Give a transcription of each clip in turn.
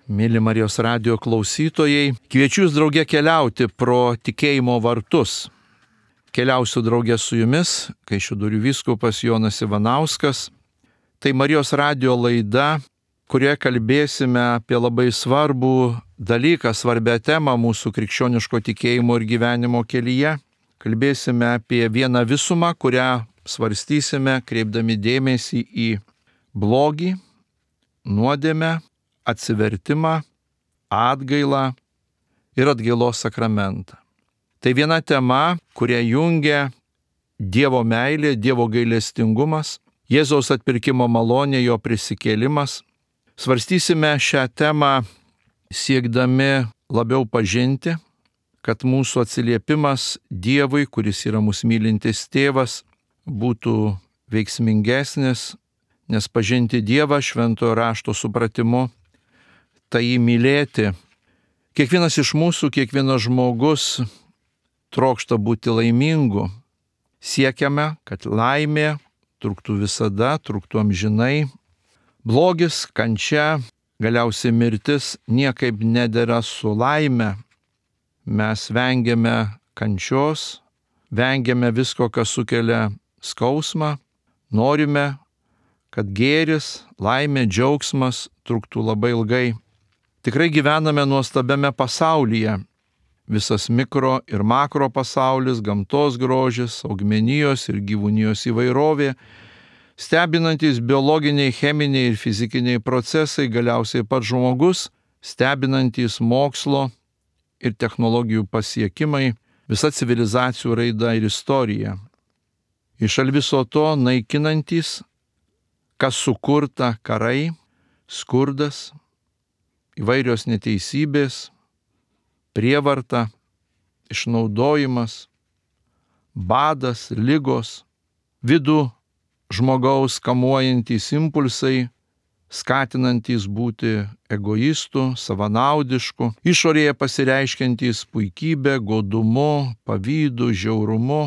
Mėly Marijos radijo klausytojai, kviečiu jūs drauge keliauti pro tikėjimo vartus. Keliausiu drauge su jumis, Kaišiadorių vyskupas Jonas Ivanauskas. Tai Marijos radijo laida, kurioje kalbėsime apie labai svarbų dalyką, svarbią temą mūsų krikščioniško tikėjimo ir gyvenimo kelyje. Kalbėsime apie vieną visumą, kurią svarstysime, kreipdami dėmesį į blogį, nuodėmę, atsivertimą, atgailą ir atgailos sakramentą. Tai viena tema, kurią jungia Dievo meilė, Dievo gailestingumas, Jėzaus atpirkimo malonė, jo prisikėlimas. Svarstysime šią temą siekdami labiau pažinti, kad mūsų atsiliepimas Dievui, kuris yra mūsų mylintis tėvas, būtų veiksmingesnis, nes pažinti Dievą šventojo rašto supratimu, tai jį mylėti. Kiekvienas iš mūsų, kiekvienas žmogus trokšta būti laimingu. Siekiame, kad laimė truktų visada, truktų amžinai. Blogis, kančia, galiausiai mirtis niekaip nedera su laime. Mes vengiame kančios, vengiame visko, kas sukelia skausmą. Norime, kad gėris, laimė, džiaugsmas truktų labai ilgai. Tikrai gyvename nuostabiame pasaulyje. Visas mikro ir makro pasaulis, gamtos grožis, augmenijos ir gyvūnijos įvairovė, stebinantys biologiniai, cheminiai ir fizikiniai procesai, galiausiai pats žmogus, stebinantys mokslo ir technologijų pasiekimai, visa civilizacijų raida ir istorija. Iš viso to naikinantys, kas sukurta karai, skurdas, įvairios neteisybės, prievarta, išnaudojimas, badas, ligos, vidų žmogaus kamuojantys impulsai, skatinantys būti egoistų, savanaudiškų, išorėje pasireiškiantys puikybė, godumu, pavydu, žiaurumu.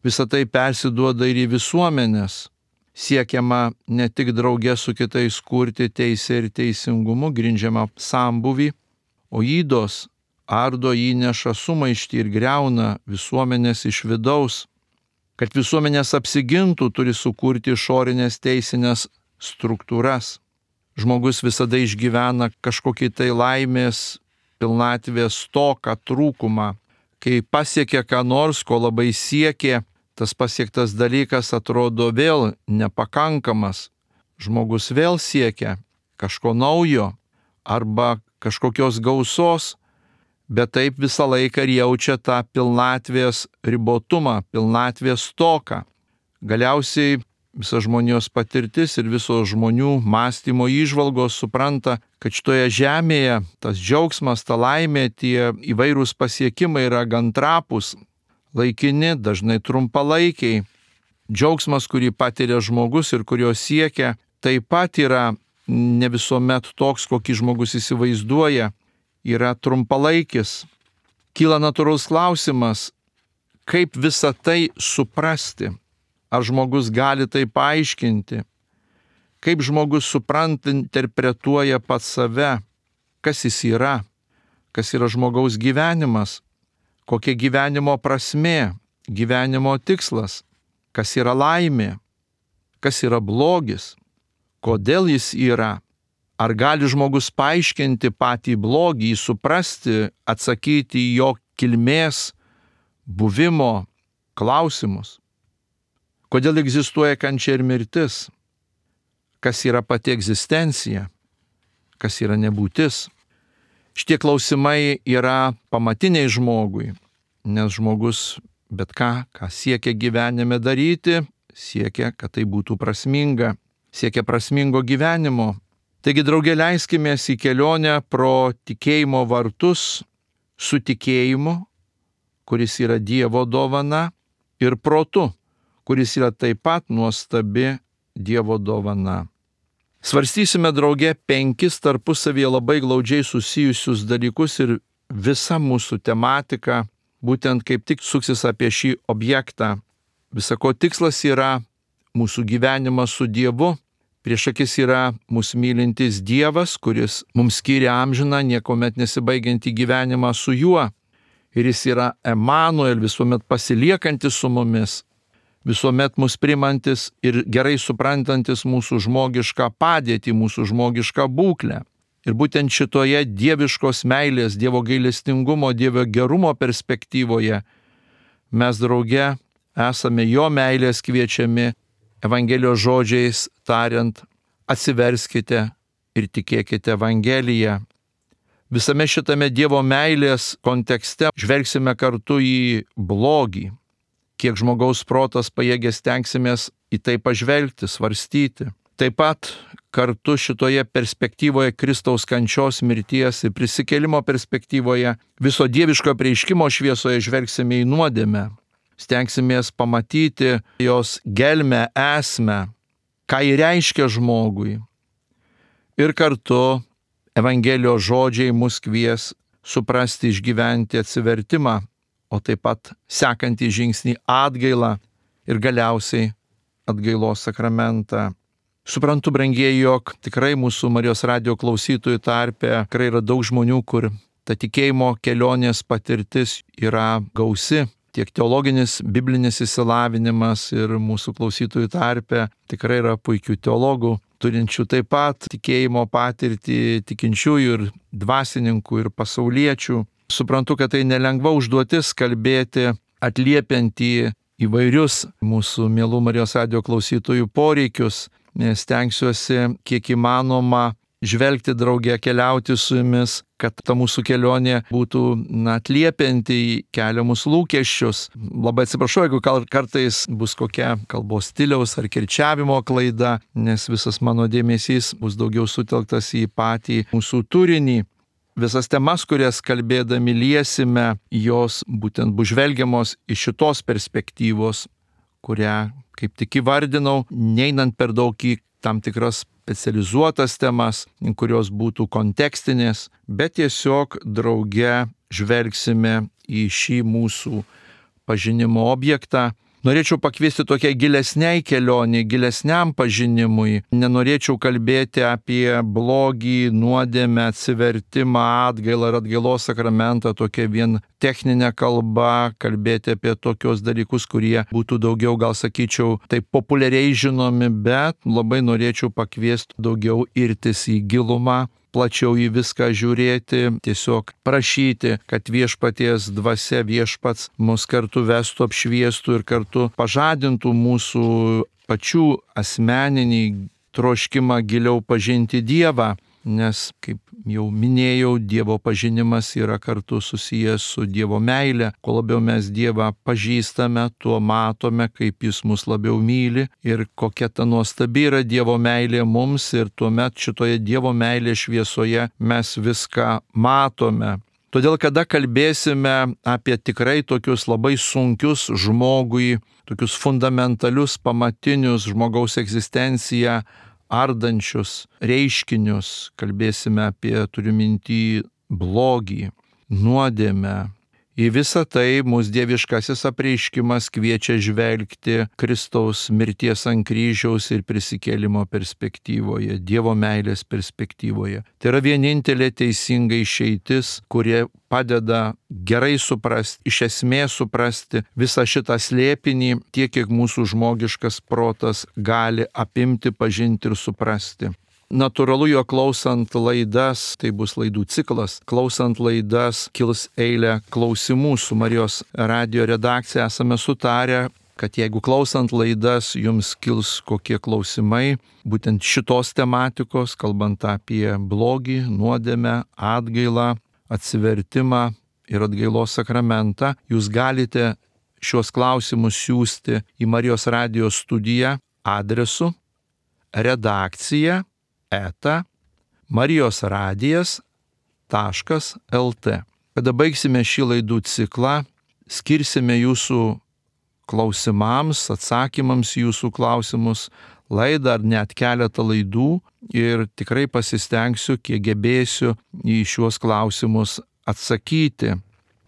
Visa tai persiduoda ir į visuomenės. Siekiama ne tik drauge su kitais kurti teisę ir teisingumu grindžiamą sambūvį, o ydos ardo, įneša sumaištį ir griauna visuomenės iš vidaus. Kad visuomenės apsigintų, turi sukurti išorinės teisinės struktūras. Žmogus visada išgyvena kažkokį tai laimės, pilnatvės stoką, trūkumą. Kai pasiekia ką nors, ko labai siekė, tas pasiektas dalykas atrodo vėl nepakankamas. Žmogus vėl siekia kažko naujo arba kažkokios gausos, bet taip visą laiką ir jaučia tą pilnatvės ribotumą, pilnatvės stoką. Galiausiai visa žmonijos patirtis ir visos žmonių mąstymo įžvalgos supranta, kad šitoje žemėje tas džiaugsmas, ta laimė, tie įvairūs pasiekimai yra gan trapūs, laikini, dažnai trumpalaikiai. Džiaugsmas, kurį patiria žmogus ir kurio siekia, taip pat yra ne visuomet toks, kokį žmogus įsivaizduoja, yra trumpalaikis. Kyla natūralus klausimas, kaip visą tai suprasti. Ar žmogus gali tai paaiškinti? Kaip žmogus supranta, interpretuoja pats save? Kas jis yra? Kas yra žmogaus gyvenimas? Kokia gyvenimo prasmė, gyvenimo tikslas, kas yra laimė, kas yra blogis, kodėl jis yra, ar gali žmogus paaiškinti patį blogį, suprasti, atsakyti į jo kilmės, buvimo klausimus, kodėl egzistuoja kančia ir mirtis, kas yra pati egzistencija, kas yra nebūtis. Šitie klausimai yra pamatiniai žmogui, nes žmogus bet ką siekia gyvenime daryti, siekia, kad tai būtų prasminga, siekia prasmingo gyvenimo. Taigi, drauge, leiskimės į kelionę pro tikėjimo vartus su tikėjimu, kuris yra Dievo dovana, ir protu, kuris yra taip pat nuostabi Dievo dovana. Svarstysime drauge 5 tarpusavyje labai glaudžiai susijusius dalykus ir visa mūsų tematika būtent kaip tik suksis apie šį objektą. Visako tikslas yra mūsų gyvenimas su Dievu, Prieš akis yra mūsų mylintis Dievas, kuris mums skiria amžiną, niekuomet nesibaigiantį gyvenimą su juo. Ir jis yra Emanuel, visuomet pasiliekantis su mumis, visuomet mus primantis ir gerai suprantantis mūsų žmogišką padėtį, mūsų žmogišką būklę. Ir būtent šitoje dieviškos meilės, Dievo gailestingumo, Dievo gerumo perspektyvoje mes drauge esame jo meilės kviečiami Evangelijos žodžiais tariant, atsiverskite ir tikėkite Evangeliją. Visame šitame Dievo meilės kontekste žvelgsime kartu į blogį. Kiek žmogaus protas pajėgės stengsimės į tai pažvelgti, svarstyti. Taip pat kartu šitoje perspektyvoje Kristaus kančios, mirties ir prisikėlimo perspektyvoje viso dieviško apreiškimo šviesoje žvelgsime į nuodėmę. Stengsimės pamatyti jos gelmę, esmę, ką ji reiškia žmogui. Ir kartu Evangelijos žodžiai mus kvies suprasti, išgyventi atsivertimą, o taip pat sekantį žingsnį atgailą ir galiausiai atgailos sakramentą. Suprantu, brangieji, jog tikrai mūsų Marijos radijo klausytojų tarpe tikrai yra daug žmonių, kur ta tikėjimo kelionės patirtis yra gausi. Tiek teologinis, biblinis išsilavinimas ir mūsų klausytojų tarpe tikrai yra puikių teologų, turinčių taip pat tikėjimo patirtį, tikinčiųjų ir dvasininkų ir pasauliečių. Suprantu, kad tai nelengva užduotis kalbėti, atliepiant į įvairius mūsų mielų Marijos radijo klausytojų poreikius. Stengsiuosi kiek įmanoma žvelgti drauge, keliauti su jumis, kad ta mūsų kelionė būtų atliepianti į keliamus lūkesčius. Labai atsiprašau, jeigu kartais bus kokia kalbos stiliaus ar kirčiavimo klaida, nes visas mano dėmesys bus daugiau sutelktas į patį mūsų turinį. Visas temas, kurias kalbėdami liesime, jos būtent bus žvelgiamos iš šitos perspektyvos, kurią kaip tik įvardinau, neinant per daug į tam tikras specializuotas temas, kurios būtų kontekstinės, bet tiesiog drauge žvelgsime į šį mūsų pažinimo objektą. Norėčiau pakviesti tokiai gilesniai kelionei, gilesniam pažinimui. Nenorėčiau kalbėti apie blogį, nuodėmę, atsivertimą, atgailą ir atgailos sakramentą, tokia vien techninė kalba, kalbėti apie tokios dalykus, kurie būtų daugiau, gal sakyčiau, taip populiariai žinomi, bet labai norėčiau pakviesti daugiau irtis į gilumą, plačiau į viską žiūrėti, tiesiog prašyti, kad viešpaties dvasia, viešpats mus kartu vestų, apšviestų ir kartu pažadintų mūsų pačių asmeninį troškimą giliau pažinti Dievą, nes, kaip jau minėjau, Dievo pažinimas yra kartu susijęs su Dievo meile. Kuo labiau mes Dievą pažįstame, tuo matome, kaip Jis mus labiau myli ir kokia ta nuostabi yra Dievo meilė mums, ir tuomet šitoje Dievo meilės šviesoje mes viską matome. Todėl, kada kalbėsime apie tikrai tokius labai sunkius žmogui, tokius fundamentalius, pamatinius žmogaus egzistenciją ardančius reiškinius, kalbėsime apie, turiu minty, blogį, nuodėmę. Į visą tai mūsų dieviškasis apreiškimas kviečia žvelgti Kristaus mirties ant kryžiaus ir prisikėlimo perspektyvoje, Dievo meilės perspektyvoje. Tai yra vienintelė teisinga išeitis, kurie padeda gerai suprasti, iš esmės suprasti visą šitą slėpinį, tiek kiek mūsų žmogiškas protas gali apimti, pažinti ir suprasti. Natūralu, jo klausant laidas, tai bus laidų ciklas, klausant laidas kils eilė klausimų. Su Marijos radijo redakcija esame sutarę, kad jeigu klausant laidas jums kils kokie klausimai, būtent šitos tematikos, kalbant apie blogį, nuodėmę, atgailą, atsivertimą ir atgailos sakramentą, jūs galite šios klausimus siųsti į Marijos radijo studiją adresu redakcija marijosradijas.lt. Kada baigsime šį laidų ciklą, skirsime jūsų klausimams, atsakymams jūsų klausimus laidą ar net keletą laidų ir tikrai pasistengsiu, kiek gebėsiu į šiuos klausimus atsakyti.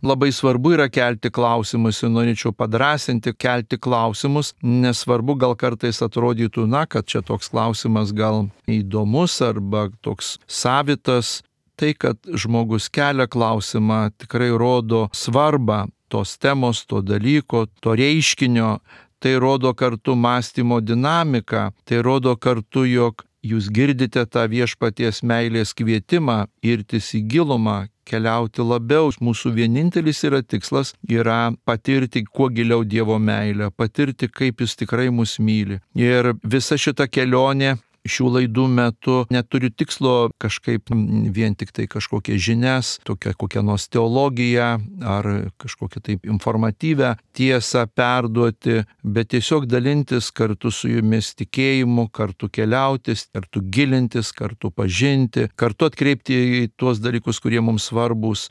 labai svarbu yra kelti klausimus ir norėčiau padrasinti kelti klausimus, nesvarbu gal kartais atrodytų, kad čia toks klausimas gal įdomus arba toks savitas. Tai, kad žmogus kelia klausimą, tikrai rodo svarbą tos temos, to dalyko, to reiškinio. Tai rodo kartu mąstymo dinamiką, tai rodo kartu, jog jūs girdite tą viešpaties meilės kvietimą irtis į gilumą, keliauti labiau. Mūsų vienintelis tikslas yra patirti kuo giliau Dievo meilę, patirti, kaip Jis tikrai mus myli. Ir visa šita kelionė šių laidų metu neturi tikslo kažkaip vien tik tai kažkokią žinias, kokią nors teologiją ar kažkokią taip informatyvę tiesą perduoti, bet tiesiog dalintis kartu su jumis tikėjimu, kartu keliautis, kartu gilintis, kartu pažinti, kartu atkreipti į tuos dalykus, kurie mums svarbus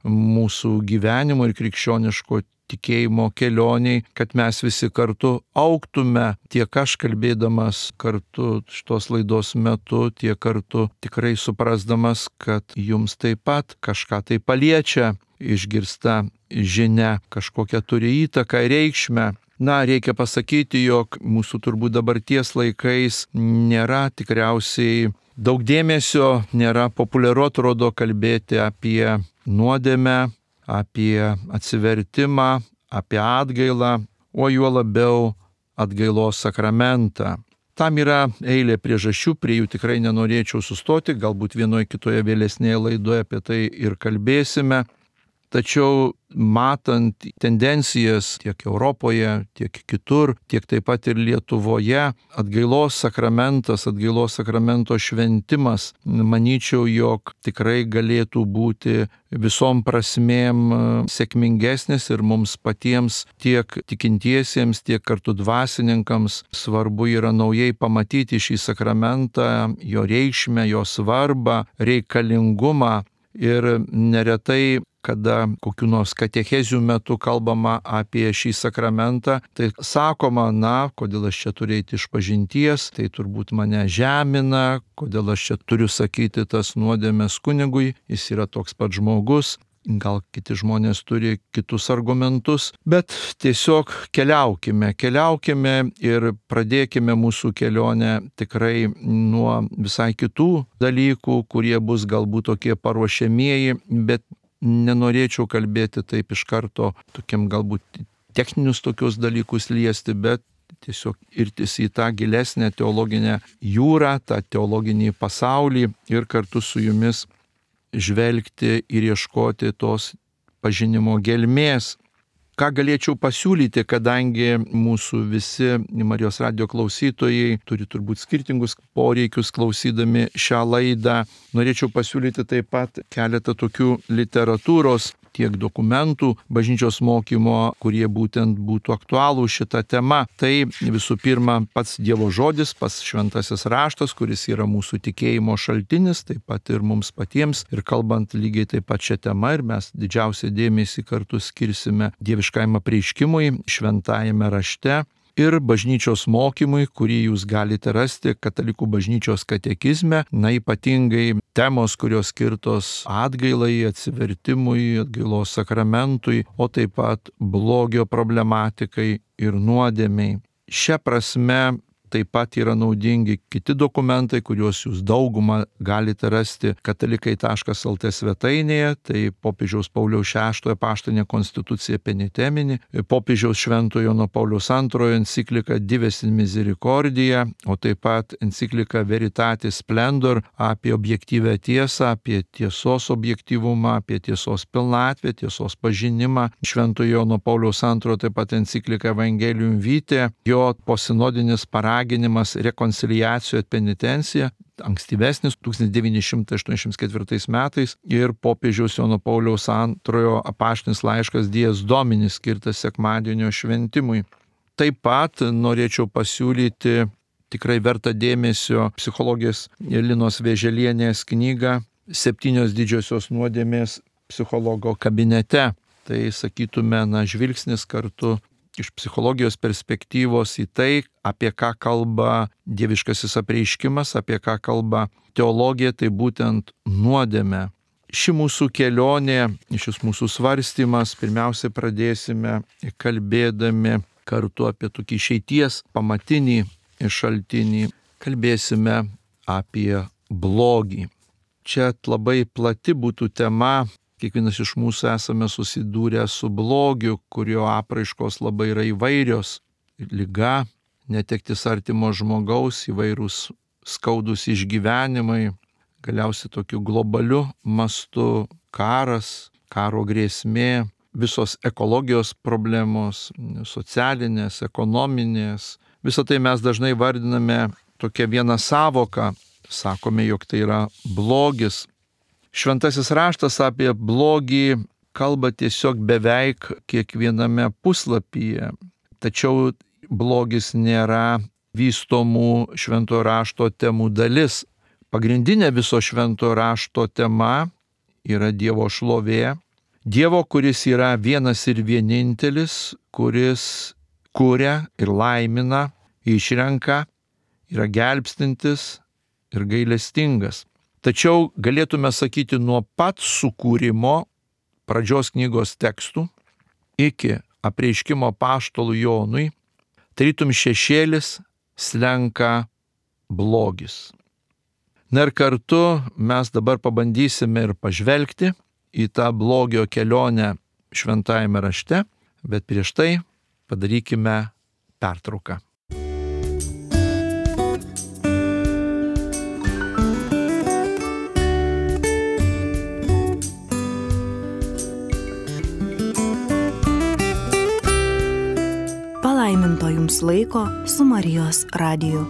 mūsų gyvenimo ir krikščioniško tikėjimo kelioniai, kad mes visi kartu augtume, tiek aš kalbėdamas kartu šitos laidos metu, tiek kartu tikrai suprasdamas, kad jums taip pat kažką tai paliečia, išgirsta žinia, kažkokią turi įtaką ir reikšmę. Reikia pasakyti, jog mūsų turbūt dabarties laikais nėra tikriausiai daug dėmesio, nėra populiaru atrodo kalbėti apie nuodėmę, apie atsivertimą, apie atgailą, o juo labiau atgailos sakramentą. Tam yra eilė priežasčių, prie jų tikrai nenorėčiau sustoti, galbūt vienoje kitoje vėlesnėje laidoje apie tai ir kalbėsime. Tačiau matant tendencijas tiek Europoje, tiek kitur, tiek taip pat ir Lietuvoje, atgailos sakramento šventimas, manyčiau, jog tikrai galėtų būti visom prasmėm sėkmingesnis ir mums patiems, tiek tikintiesiems, tiek kartu dvasininkams svarbu yra naujai pamatyti šį sakramentą, jo reikšmę, jo svarbą, reikalingumą. Ir neretai, kada kokių nors katechezių metu kalbama apie šį sakramentą, tai sakoma, kodėl aš čia turiu eiti išpažinties, tai turbūt mane žemina, kodėl aš čia turiu sakyti tas nuodėmes kunigui, jis yra toks pat žmogus. Gal kiti žmonės turi kitus argumentus, bet tiesiog keliaukime ir pradėkime mūsų kelionę tikrai nuo visai kitų dalykų, kurie bus galbūt tokie paruošiamieji, bet nenorėčiau kalbėti taip iš karto tokiam galbūt techninius tokius dalykus liesti, bet tiesiog irtis į tą gilesnę teologinę jūrą, tą teologinį pasaulį ir kartu su jumis žvelgti ir ieškoti tos pažinimo gelmės. Ką galėčiau pasiūlyti, kadangi mūsų visi Marijos radijo klausytojai turi turbūt skirtingus poreikius klausydami šią laidą, norėčiau pasiūlyti taip pat keletą tokių literatūros, tiek dokumentų bažnyčios mokymo, kurie būtent būtų aktualų šitą temą. Tai visų pirma pats Dievo žodis, pats šventasis raštas, kuris yra mūsų tikėjimo šaltinis, taip pat ir mums patiems. Ir kalbant lygiai taip pat šią temą, ir mes didžiausią dėmesį kartu skirsime dieviškajam apreiškimui šventajame rašte. Ir bažnyčios mokymui, kurį jūs galite rasti Katalikų bažnyčios katekizme, ypatingai temos, kurios skirtos atgailai, atsivertimui, atgailos sakramentui, o taip pat blogio problematikai ir nuodėmei. Šia prasme taip pat yra naudingi kiti dokumentai, kuriuos jūs daugumą galite rasti katalikai.lt svetainėje, tai popiežiaus Pauliaus VI apaštalinė konstitucija Peniteminis, popiežiaus Šventojo Jono Pauliaus II enciklika Dives in Misericordia, o taip pat enciklika Veritatis Splendor apie objektyvę tiesą, apie tiesos objektyvumą, apie tiesos pilnatvę, tiesos pažinimą. Šventojo Jono Pauliaus II taip pat enciklika Evangelium Vitae, jo posinodinis paraginimas rekonciliacijų et penitencija, ankstyvesnis 1984 metais, ir popiežiaus Jono Pauliaus II apaštalinis laiškas Dies Domini skirtas sekmadienio šventimui. Taip pat norėčiau pasiūlyti tikrai vertą dėmesio psichologės Linos Vėželienės knygą 7 didžiosios nuodėmės psichologo kabinete. Tai sakytume, žvilgsnis kartu iš psichologijos perspektyvos į tai, apie ką kalba dieviškasis apreiškimas, apie ką kalba teologija, tai būtent nuodėmė. ši mūsų kelionė, šis mūsų svarstymas, pirmiausia pradėsime kalbėdami kartu apie tokį išeities pamatinį šaltinį. Kalbėsime apie blogį. Čia labai plati būtų tema. Kiekvienas iš mūsų esame susidūrę su blogiu, kurio apraiškos labai yra įvairios. Liga, netektis artimo žmogaus, įvairūs skaudus išgyvenimai, galiausiai tokiu globaliu mastu karas, karo grėsmė, visos ekologijos problemos, socialinės, ekonominės. Visą tai mes dažnai vardiname tokia viena savoka, sakome, jog tai yra blogis. Šventasis raštas apie blogį kalba tiesiog beveik kiekviename puslapyje, tačiau blogis nėra vystomų šventojo rašto temų dalis. Pagrindinė viso šventojo rašto tema yra Dievo šlovė. Dievo, kuris yra vienas ir vienintelis, kuris kuria ir laimina, išrenka, yra gelbstintis ir gailestingas. Tačiau galėtume sakyti nuo pat sukūrimo pradžios knygos tekstų iki apreiškimo apaštalui Jonui, tarytum šešėlis slenka blogis. Na ir kartu mes dabar pabandysime ir pažvelgti į tą blogio kelionę šventajame rašte, bet prieš tai padarykime pertrauką. Palaiminto jums laiko su Marijos radiju.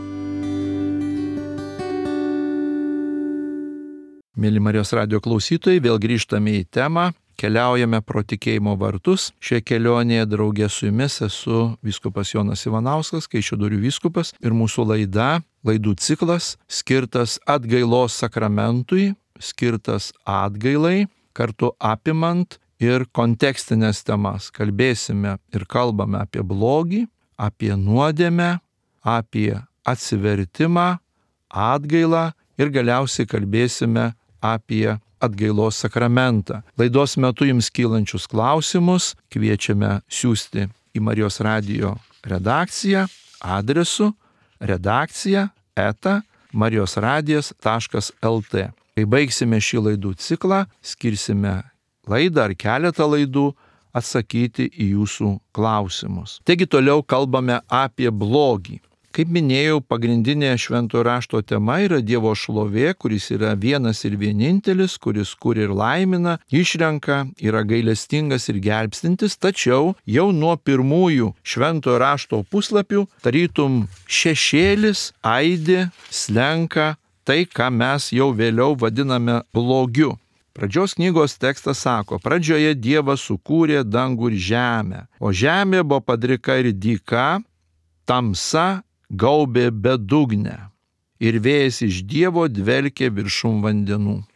Mėly Marijos radijo klausytojai, vėl grįžtame į temą, keliaujame pro tikėjimo vartus. Šioje kelionėje draugė su jumis esu vyskupas Jonas Ivanauskas, Kaišiadorių vyskupas, ir mūsų laidų ciklas skirtas atgailos sakramentui, skirtas atgailai, kartu apimant ir kontekstinės temas. Kalbėsime ir kalbame apie blogį, apie nuodėmę, apie atsivertimą, atgailą ir galiausiai kalbėsime apie atgailos sakramentą. Laidos metu jums kylančius klausimus kviečiame siųsti į Marijos radijo redakciją adresu redakcija@marijosradijas.lt. Kai baigsime šį laidų ciklą, skirsime laidą ar keletą laidų atsakyti į jūsų klausimus. Taigi toliau kalbame apie blogį. Kaip minėjau, pagrindinė šventojo rašto tema yra Dievo šlovė, kuris yra vienas ir vienintelis, kuris kuria ir laimina, išrenka, yra gailestingas ir gelbstintis, tačiau jau nuo pirmųjų šventojo rašto puslapių tarytum šešėlis aidi, slenka tai, ką mes jau vėliau vadiname blogiu. Pradžios knygos tekstas sako, pradžioje Dievas sukūrė dangų ir žemę, o žemė buvo padrika ir dyka, tamsa gaubė bedugnę ir vėjas iš Dievo dvelkė viršum vandenų.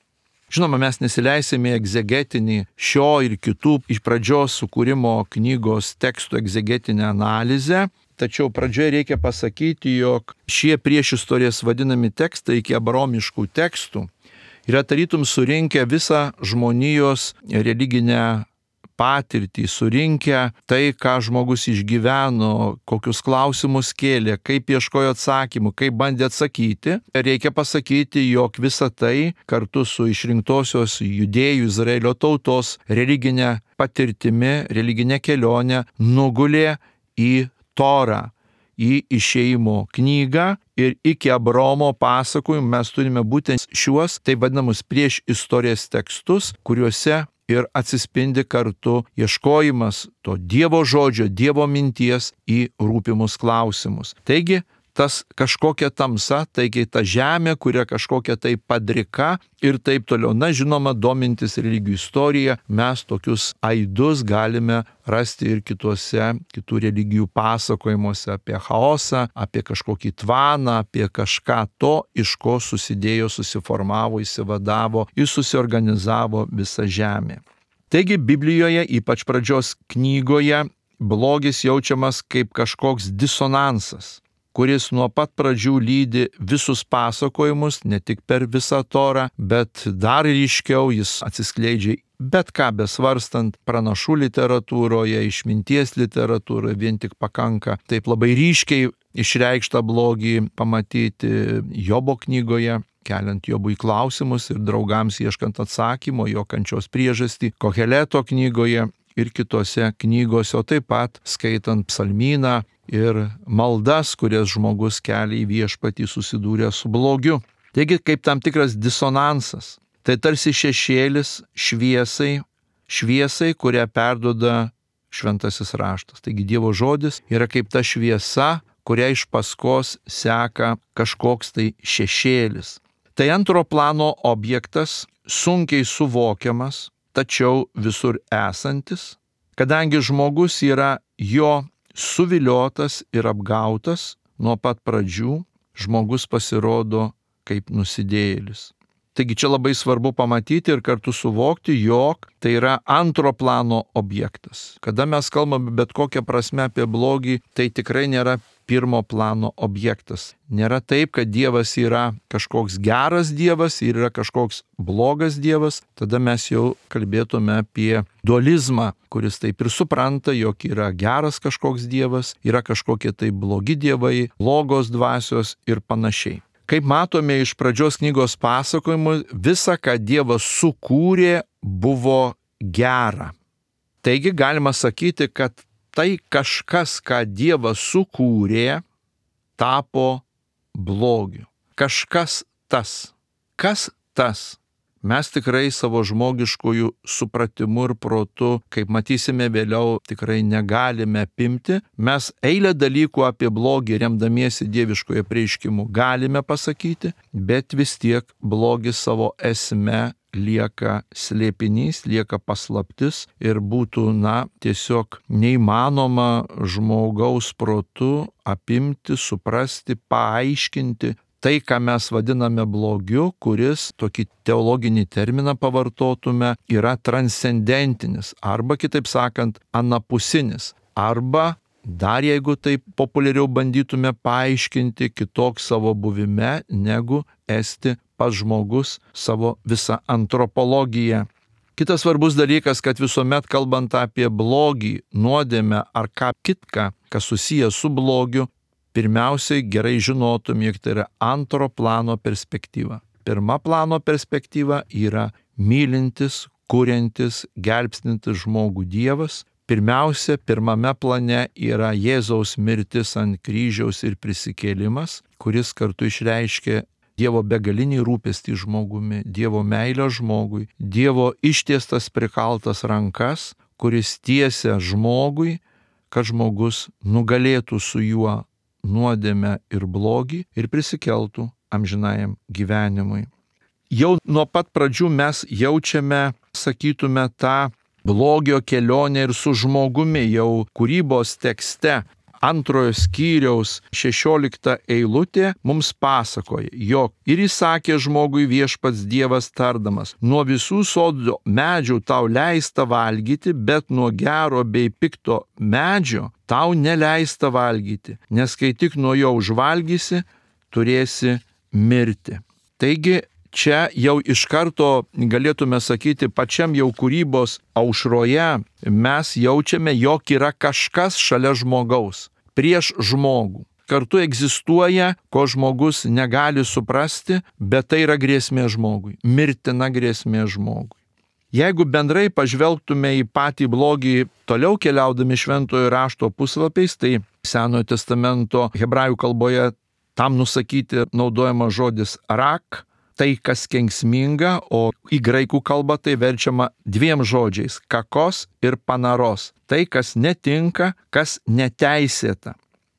Žinoma, mes nesileisime į egzegetinį šio ir kitų iš pradžios sukūrimo knygos tekstų egzegetinę analizę, tačiau pradžioje reikia pasakyti, jog šie priešistorės vadinami tekstai iki abraomiškų tekstų yra tarytum surinkę visą žmonijos religinę patirtį, surinkę tai, ką žmogus išgyveno, kokius klausimus kėlė, kaip ieškojo atsakymų, kaip bandė atsakyti. Reikia pasakyti, jog visa tai kartu su išrinktosios judėjų Izraelio tautos religinė patirtimi, religinė kelionė nugulė į Torą, į išėjimo knygą ir iki Abraomo pasakojimų mes turime būtent šiuos, taip vadinamus prieš istorijas tekstus, kuriuose ir atsispindi kartu ieškojimas to Dievo žodžio, Dievo minties į rūpimus klausimus. Taigi, tas kažkokia tamsa, taigi ta žemė, kuria kažkokia tai padrika ir taip toliau. Na, žinoma, domintis religijų istorija, mes tokius aidus galime rasti ir kitų religijų pasakojimuose apie chaosą, apie kažkokį tvaną, apie kažką to, iš ko susidėjo, susiformavo, įsivadavo ir susiorganizavo visa žemė. Taigi Biblijoje, ypač pradžios knygoje, blogis jaučiamas kaip kažkoks disonansas. kuris nuo pat pradžių lydi visus pasakojimus, ne tik per visą Torą, bet dar ryškiau jis atsiskleidžia bet ką besvarstant pranašų literatūroje, išminties literatūroje, vien tik pakanka taip labai ryškiai išreikštą blogį pamatyti Jobo knygoje, keliant Jobui klausimus ir draugams ieškant atsakymo, jo kančios priežastį, Koheleto knygoje ir kitose knygose, o taip pat skaitant psalmyną ir maldas, kurias žmogus kelia į viešpatį susidūrė su blogiu. Taigi kaip tam tikras disonansas. Tai tarsi šešėlis šviesai, kurią perduoda šventasis raštas. Taigi Dievo žodis yra kaip ta šviesa, kurią iš paskos seka kažkoks tai šešėlis. Tai antro plano objektas, sunkiai suvokiamas, tačiau visur esantis, kadangi žmogus yra jo suviliotas ir apgautas nuo pat pradžių, žmogus pasirodo kaip nusidėjėlis. Taigi čia labai svarbu pamatyti ir kartu suvokti, jog tai yra antro plano objektas. Kada mes kalbame bet kokią prasme apie blogį, tai tikrai nėra pirmo plano objektas. Nėra taip, kad Dievas yra kažkoks geras Dievas ir yra kažkoks blogas Dievas. Tada mes jau kalbėtume apie dualizmą, kuris taip ir supranta, jog yra geras kažkoks Dievas, yra kažkokie tai blogi dievai, blogos dvasios ir panašiai. Kaip matome iš pradžios knygos pasakojimų, visa, ką Dievas sukūrė, buvo gera. Taigi galima sakyti, kad tai kažkas, ką Dievas sukūrė, tapo blogiu. Kažkas tas. Kas tas? Mes tikrai savo žmogiškųjų supratimu ir protu, kaip matysime vėliau, tikrai negalime apimti. Mes eilę dalykų apie blogį remdamiesi dieviškojo apreiškimu galime pasakyti, bet vis tiek blogis savo esme lieka slėpinys, lieka paslaptis ir būtų, tiesiog neįmanoma žmogaus protu apimti, suprasti, paaiškinti tai, ką mes vadiname blogiu, kuris, tokį teologinį terminą pavartotume, yra transcendentinis, arba kitaip sakant, anapusinis, arba dar jeigu taip populiariau bandytume paaiškinti, kitoks savo buvime, negu esti pats žmogus savo visą antropologiją. Kitas svarbus dalykas, kad visuomet kalbant apie blogį, nuodėmę ar ką kitką, kas susijęs su blogiu, pirmiausiai gerai žinotum, jog tai yra antro plano perspektyva. Pirma plano perspektyva yra mylintis, kuriantis, gelbstintis žmogų Dievas. Pirmiausia, pirmame plane yra Jėzaus mirtis ant kryžiaus ir prisikėlimas, kuris kartu išreiškia Dievo begalinį rūpestį žmogumi, Dievo meilę žmogui, Dievo ištiestas prikaltas rankas, kuris tiesia žmogui, kad žmogus nugalėtų su juo nuodėmę ir blogį ir prisikeltų amžinajam gyvenimui. Jau nuo pat pradžių mes jaučiame, sakytume, tą blogio kelionę ir su žmogumi. Jau kūrybos tekste 2 skyriaus 16 eilutė mums pasakoja, jog ir įsakė žmogui viešpats Dievas tardamas, nuo visų sodo medžių tau leista valgyti, bet nuo gero bei pikto medžio tau neleista valgyti, nes kai tik nuo jo užvalgysi, turėsi mirti. Taigi čia jau iš karto galėtume sakyti, pačiam jau kūrybos aušroje mes jaučiame, jog yra kažkas šalia žmogaus, prieš žmogų. Kartu egzistuoja, ko žmogus negali suprasti, bet tai yra grėsmė žmogui, mirtina grėsmė žmogui. Jeigu bendrai pažvelgtume į patį blogį, toliau keliaudami šventojo rašto puslapiais, tai Senojo testamento hebrajų kalboje tam nusakyti naudojamas žodis rak, tai kas kenksminga, o į graikų kalbą tai verčiama 2 žodžiais – kakos ir panaros. Tai, kas netinka, kas neteisėta.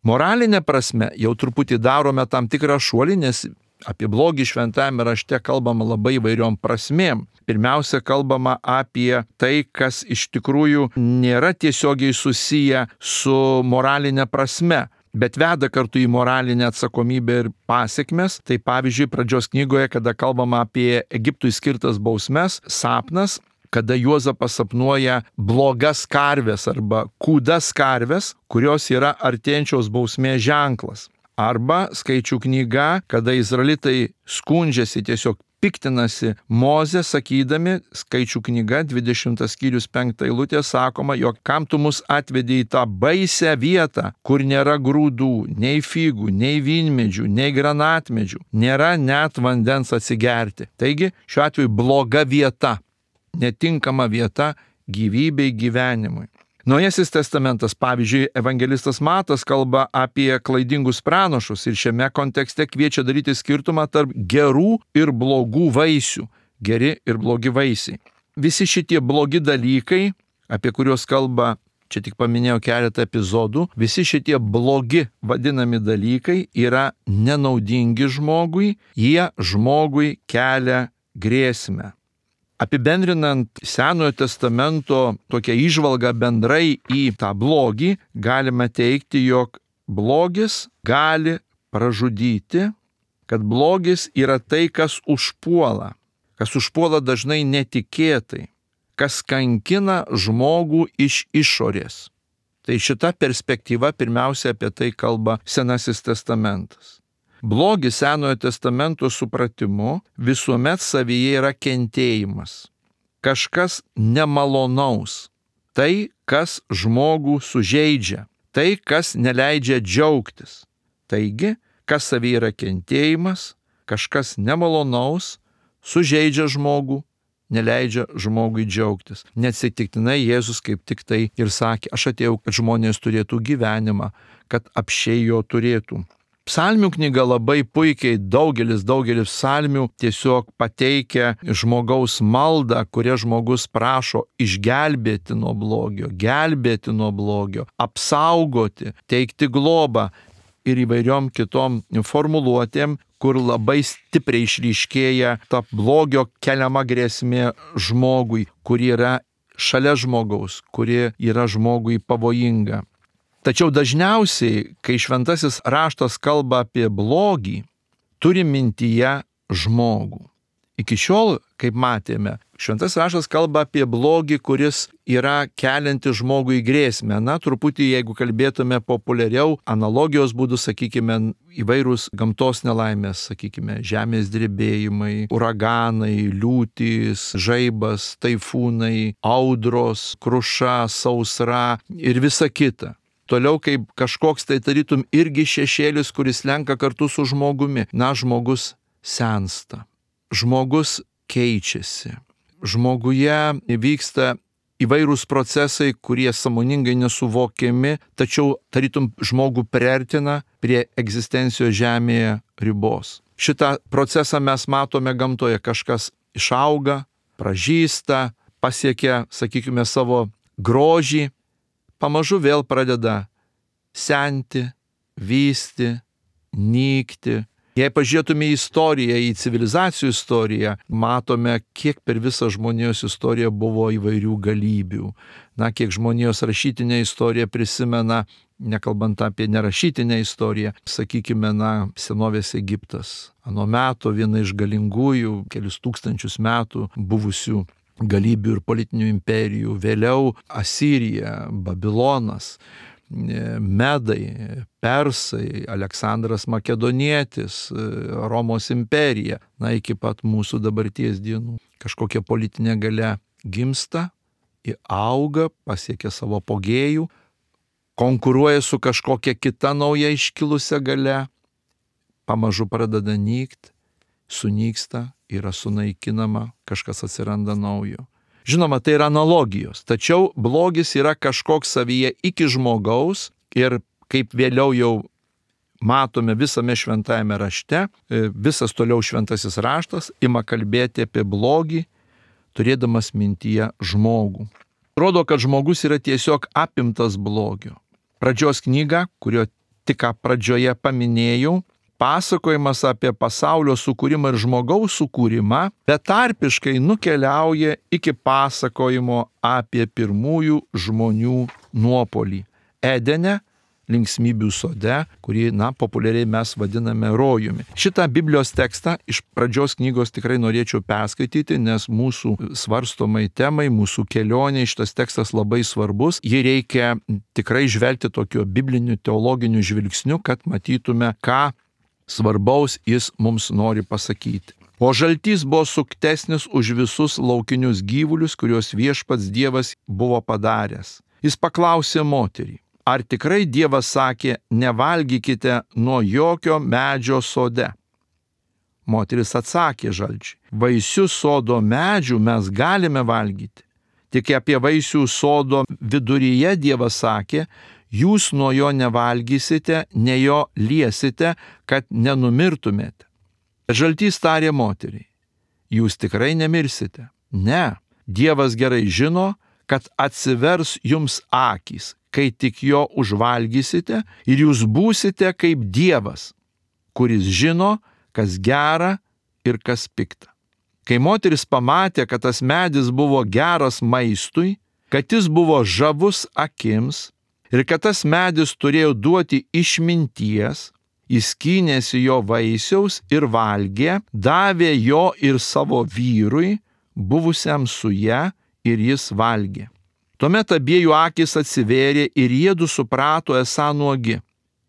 Moralinė prasme jau truputį darome tam tikrą šuolį, nes apie blogį šventajame rašte kalbama labai įvairiom prasmėm. Pirmiausia, kalbama apie tai, kas iš tikrųjų nėra tiesiogiai susiję su moralinė prasme, bet veda kartu į moralinę atsakomybę ir pasekmes. Tai pavyzdžiui, pradžios knygoje, kada kalbama apie Egiptui skirtas bausmes, sapnas, kada Juozapas sapnuoja blogas karves arba kūdas karves, kurios yra artėjančios bausmės ženklas. Arba Skaičių knyga, kada izraelitai skundžiasi, tiesiog piktinasi Moze, sakydami, Skaičių knyga 20 skyrius 5 eilutė sakoma, jog kam tu mus atvedė į tą baisią vietą, kur nėra grūdų, nei figų, nei vynmedžių, nei granatmedžių, nėra net vandens atsigerti. Taigi šiuo atveju bloga vieta, netinkama vieta gyvybei, gyvenimui. Naujasis testamentas, pavyzdžiui, evangelistas Matas kalba apie klaidingus pranašus ir šiame kontekste kviečia daryti skirtumą tarp gerų ir blogų vaisių. Geri ir blogi vaisiai. Visi šitie blogi dalykai, apie kuriuos kalba, čia tik paminėjau keletą epizodų, visi šitie blogi vadinami dalykai yra nenaudingi žmogui, jie žmogui kelia grėsmę. Apibendrinant Senojo testamento tokią įžvalgą bendrai į tą blogį, galime teikti, jog blogis gali pražudyti, kad blogis yra tai, kas užpuola dažnai netikėtai, kas kankina žmogų iš išorės. Tai šita perspektyva pirmiausia apie tai kalba Senasis testamentas. Blogis Senojo testamento supratimu visuomet savyje yra kentėjimas. Kažkas nemalonaus. Tai, kas žmogų sužeidžia. Tai, kas neleidžia džiaugtis. Taigi, kas savyje yra kentėjimas, kažkas nemalonaus, sužeidžia žmogų, neleidžia žmogui džiaugtis. Neatsitiktinai Jėzus kaip tik tai ir sakė, aš atėjau, kad žmonės turėtų gyvenimą, kad apsčiai jo turėtų. Psalmių knyga labai puikiai daugelis psalmių tiesiog pateikia žmogaus maldą, kuria žmogus prašo išgelbėti nuo blogio, apsaugoti, teikti globą ir įvairiom kitom formuluotėm, kur labai stipriai išryškėja ta blogio keliama grėsmė žmogui, kuri yra šalia žmogaus, kuri yra žmogui pavojinga. Tačiau dažniausiai, kai šventasis raštas kalba apie blogį, turi mintyje žmogų. Iki šiol, kaip matėme, šventasis raštas kalba apie blogį, kuris yra kelianti žmogui grėsmę. Na, truputį, jeigu kalbėtume populiariau, analogijos būdų, sakykime, įvairūs gamtos nelaimės, sakykime, žemės drebėjimai, uraganai, liūtys, žaibas, taifūnai, audros, kruša, sausra ir visa kita. Toliau kaip kažkoks tai tarytum irgi šešėlis, kuris lenka kartu su žmogumi. Na, žmogus sensta, žmogus keičiasi, žmoguje vyksta įvairūs procesai, kurie sąmoningai nesuvokiami, tačiau tarytum žmogų priartina prie egzistencijos žemėje ribos. Šitą procesą mes matome gamtoje, kažkas išauga, pražysta, pasiekia, sakykime, savo grožį, pamažu vėl pradeda senti, vysti, nykti. Jei pažiūrėtume į istoriją, į civilizacijų istoriją, matome, kiek per visą žmonijos istoriją buvo įvairių galybių. Na, kiek žmonijos rašytinė istorija prisimena, nekalbant apie nerašytinę istoriją, sakykime, senovės Egiptas. Ano meto viena iš galingųjų, kelius tūkstančius metų buvusių galybių ir politinių imperijų, vėliau Asirija, Babilonas, Medai, Persai, Aleksandras Makedonietis, Romos imperija, iki pat mūsų dabarties dienų. Kažkokia politinė galia gimsta, auga, pasiekia savo apogėjų, konkuruoja su kažkokia kita nauja iškilusia galia, pamažu pradeda nykti, sunyksta, yra sunaikinama, kažkas atsiranda naujo. Žinoma, tai yra analogijos, tačiau blogis yra kažkoks savyje iki žmogaus ir kaip vėliau jau matome visame šventajame rašte, visas toliau šventasis raštas ima kalbėti apie blogį, turėdamas mintyje žmogų. Rodo, kad žmogus yra tiesiog apimtas blogio. Pradžios knyga, kurio tik pradžioje paminėjau, pasakojimas apie pasaulio sukūrimą ir žmogaus sukūrimą betarpiškai nukeliauja iki pasakojimo apie pirmųjų žmonių nuopolį. Edene linksmybių sode, kurį, populiariai mes vadiname rojumi. Šitą Biblijos tekstą iš pradžios knygos tikrai norėčiau perskaityti, nes mūsų svarstomai temai, mūsų kelionė šitas tekstas labai svarbus. Jį reikia tikrai žvelgti tokiu bibliniu teologiniu žvilgsniu, kad matytume, ką svarbaus jis mums nori pasakyti. O žaltys buvo suktesnis už visus laukinius gyvulius, kuriuos viešpats Dievas buvo padaręs. Jis paklausė moterį, ar tikrai Dievas sakė, nevalgykite nuo jokio medžio sode? Moteris atsakė žalčiui, vaisių sodo medžių mes galime valgyti. Tik apie vaisių sodo viduryje Dievas sakė, jūs nuo jo nevalgysite, ne jo liesite, kad nenumirtumėte. Žaltys tarė moteriai, jūs tikrai nemirsite. Ne, Dievas gerai žino, kad atsivers jums akys, kai tik jo užvalgysite ir jūs būsite kaip Dievas, kuris žino, kas gera ir kas pikta. Kai moteris pamatė, kad tas medis buvo geras maistui, kad jis buvo žavus akims ir kad tas medis turėjo duoti išminties, jis skynėsi jo vaisiaus ir valgė, davė jo ir savo vyrui, buvusiam su ja, ir jis valgė. Tuomet abiejų akys atsivėrė ir jiedu suprato esą nuogi.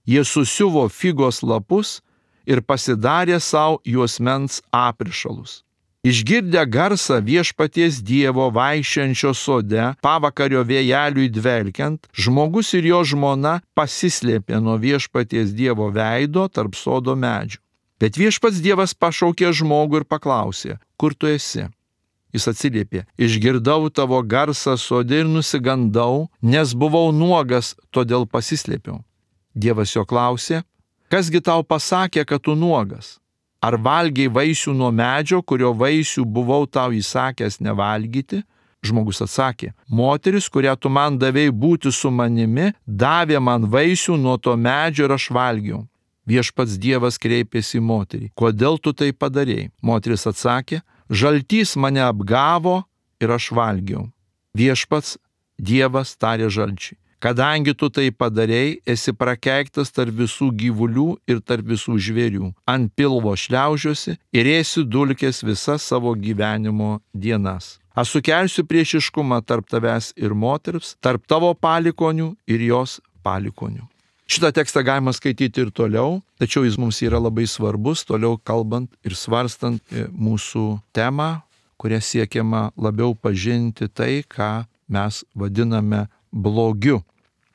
Jie susiuvo figos lapus ir pasidarė savo juosmens aprišalus. Išgirdę garsą viešpaties Dievo vaikščiančio sode, pavakario vėjeliui dvelkiant, žmogus ir jo žmona pasislėpė nuo viešpaties Dievo veido tarp sodo medžių. Bet viešpats Dievas pašaukė žmogų ir paklausė, kur tu esi? Jis atsiliepė, išgirdau tavo garsą sode ir nusigandau, nes buvau nuogas, todėl pasislėpiau. Dievas jo klausė, kasgi tau pasakė, kad tu nuogas? Ar valgiai vaisių nuo medžio, kurio vaisių buvau tau įsakęs nevalgyti? Žmogus atsakė, moteris, kurią tu man davei būti su manimi, davė man vaisių nuo to medžio ir aš valgiau. Viešpats Dievas kreipėsi į moterį, kodėl tu tai padarei? Moteris atsakė, žaltys mane apgavo ir aš valgiau. Viešpats Dievas tarė žalčiui, kadangi tu tai padarei, esi prakeiktas tarp visų gyvulių ir tarp visų žvėrių. Ant pilvo šliaužiosi ir ėsi dulkės visas savo gyvenimo dienas. Aš sukelsiu priešiškumą tarp tavęs ir moters, tarp tavo palikonių ir jos palikonių. Šitą tekstą galima skaityti ir toliau, tačiau jis mums yra labai svarbus, toliau kalbant ir svarstant mūsų temą, kuria siekiama labiau pažinti tai, ką mes vadiname blogiu.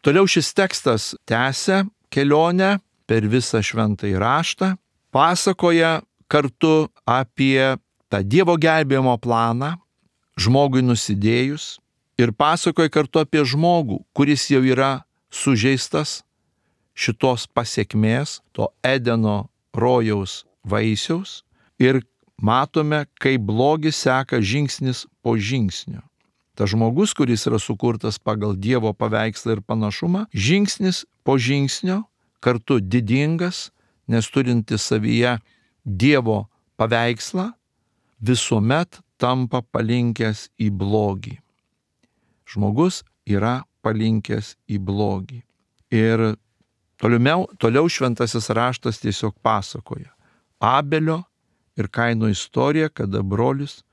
Toliau šis tekstas tęsia kelionę per visą šventąjį raštą, pasakoja kartu apie tą Dievo gelbėjimo planą, žmogui nusidėjus, ir pasakoja kartu apie žmogų, kuris jau yra sužeistas šitos pasiekmės, to Edeno rojaus vaisiaus, ir matome, kaip blogis seka žingsnis po žingsnio. Tas žmogus, kuris yra sukurtas pagal Dievo paveikslą ir panašumą, žingsnis po žingsnio, kartu didingas, nes turintis savyje Dievo paveikslą, visuomet tampa palinkęs į blogį. Žmogus yra palinkęs į blogį. Ir toliau šventasis raštas tiesiog pasakoja Abelio ir Kaino istoriją, kada brolis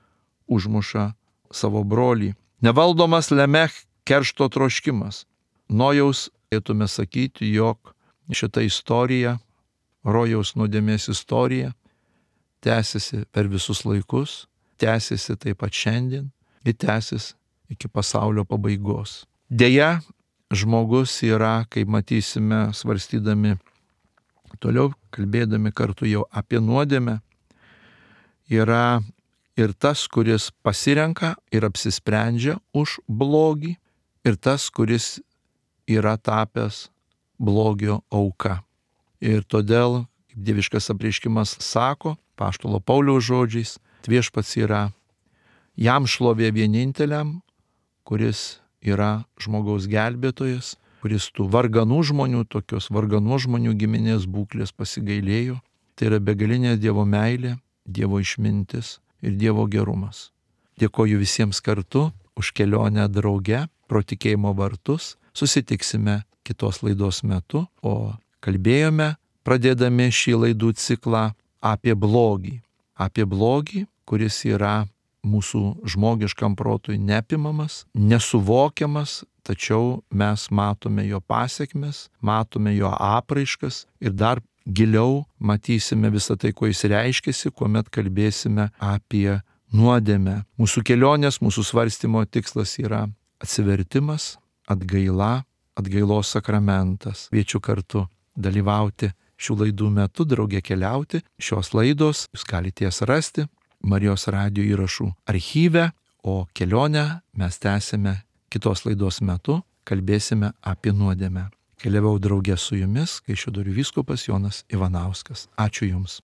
užmuša savo brolį. Nevaldomas Lemech keršto troškimas. Nojaus, galėtume sakyti, jog šita istorija, rojaus nuodėmės istorija, tęsiasi per visus laikus, tęsiasi taip pat šiandien ir tęsiasi iki pasaulio pabaigos. Deja, žmogus yra, kaip matysime, svarstydami toliau, kalbėdami kartu jau apie nuodėmę, yra ir tas, kuris pasirenka ir apsisprendžia už blogį, ir tas, kuris yra tapęs blogio auka. Ir todėl, kaip dieviškas apreiškimas sako, apaštalo Pauliaus žodžiais, viešpats yra jam šlovė vieninteliam, kuris yra žmogaus gelbėtojas, kuris tų varganų žmonių, tokios varganų žmonių giminės būklės pasigailėjo. Tai yra begalinė Dievo meilė, Dievo išmintis ir Dievo gerumas. Dėkoju visiems kartu už kelionę drauge pro tikėjimo vartus. Susitiksime kitos laidos metu, o kalbėjome, pradėdami šį laidų ciklą, apie blogį. Apie blogį, kuris yra mūsų žmogiškam protui neapimamas, nesuvokiamas, tačiau mes matome jo pasiekmes, matome jo apraiškas ir dar giliau matysime visą tai, kuo jis reiškiasi, kuomet kalbėsime apie nuodėmę. Mūsų kelionės, mūsų svarstymo tikslas yra atsivertimas, atgaila, atgailos sakramentas. Kviečiu kartu dalyvauti šių laidų metu, drauge keliauti. Šios laidos jūs galite jas rasti Marijos radijo įrašų archyve, o kelionę mes tęsime kitos laidos metu, kalbėsime apie nuodėmę. Keliavau drauge su jumis, Kaišiadorių vyskupas Jonas Ivanauskas. Ačiū Jums.